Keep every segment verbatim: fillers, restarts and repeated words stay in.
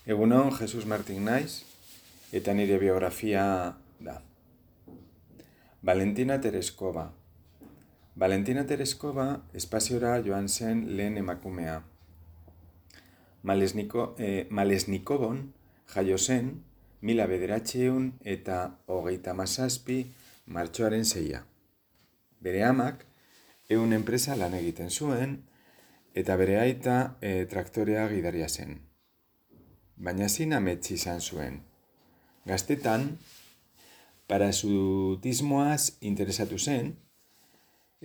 Egunon, Jesus Martin naiz, eta nire biografia da. Valentina Tereskova. Valentina Tereskova espaziora joan zen lehen emakumea. Malesniko, eh, Malesnikobon jaio zen mila bederatziehun eta hogeita hamazazpi martxoaren seia. Bere amak ehun enpresa lan egiten zuen eta bere aita eh, traktorea gidaria zen. Baina zin ametsi izan zuen. Gaztetan, parasutismoaz interesatu zen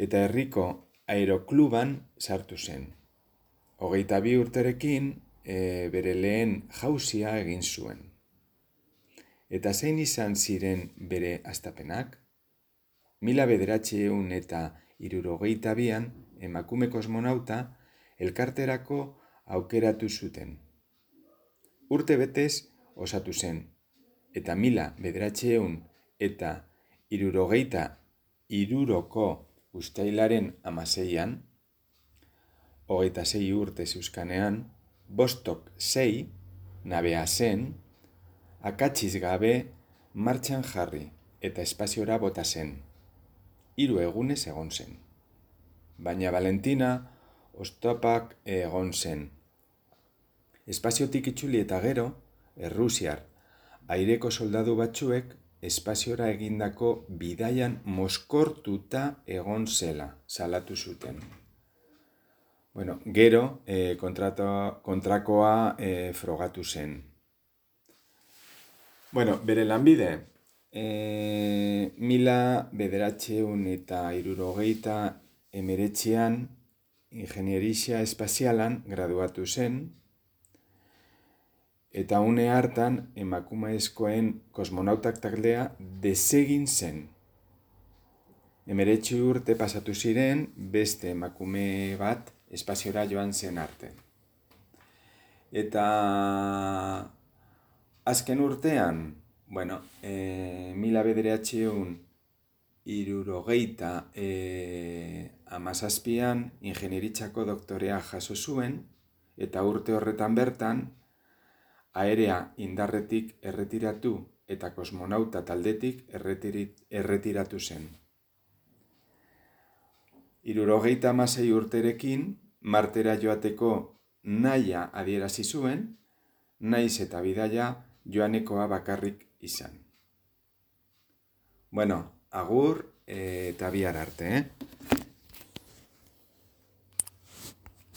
eta herriko aerokluban sartu zen. Hogeita bi urterekin e, bere lehen jauzia egin zuen. Eta zein izan ziren bere hastapenak? Mila bederatziehun eta hirurogeita bian emakume kosmonauta elkarterako aukeratu zuten. Urte betez osatu zen, eta mila bederatziehun eta hirurogeita hiruroko uztailaren hamaseian, hogeita sei urte zeuzkanean, Vostok sei nabea zen, akatsiz gabe martxan jarri eta espaziora bota zen. Hiru egunez egon zen. Baina Valentina oztopak egon zen. Espaziotik itzuli eta gero, errusiar aireko soldadu batzuek espaziora egindako bidaian mozkortuta egon zela, salatu zuten. Bueno, gero eh, kontrato, kontrakoa eh, frogatu zen. Bueno, bere lanbide, eh, mila bederatziehun eta hirurogeita emeretzian ingenieria espazialan graduatu zen, eta une hartan emakumezkoen kosmonautak taldea desegin zen. Emeretzi urte pasatu ziren beste emakume bat espaziora joan zen arte. Eta azken urtean, bueno, e, mila bederatziehun hirurogeita e, hamazazpian ingenieritzako doktorea jaso zuen, eta urte horretan bertan aerea indarretik erretiratu eta kosmonauta taldetik erretirit, erretiratu zen. Hirurogeita hamasei urterekin Martera joateko nahia adierazi zuen, naiz eta bidaia joanekoa bakarrik izan. Bueno, agur eta bihar arte, eh?